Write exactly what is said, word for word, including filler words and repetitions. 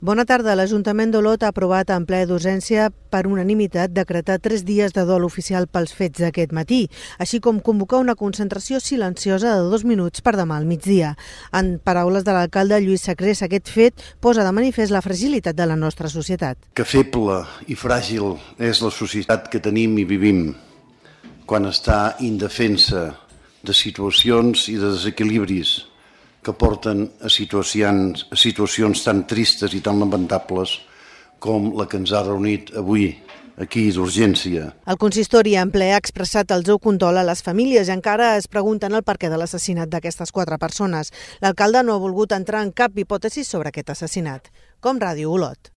Bona tarda. L'Ajuntament d'Olot ha aprovat en ple d'urgència per unanimitat decretar tres dies de dol oficial pels fets d'aquest matí, així com convocar una concentració silenciosa de dos minuts per demà al migdia. En paraules de l'alcalde Lluís Sacrés, aquest fet posa de manifest la fragilitat de la nostra societat. Que feble i fràgil és la societat que tenim i vivim quan està indefensa de situacions i de desequilibris que porten a situacions, a situacions tan tristes i tan lamentables com la que ens ha reunit avui aquí d'urgència. El consistori en ple ha expressat el seu condol a les famílies i encara es pregunten el perquè de l'assassinat d'aquestes quatre persones. L'alcalde no ha volgut entrar en cap hipòtesi sobre aquest assassinat. Com Ràdio Olot.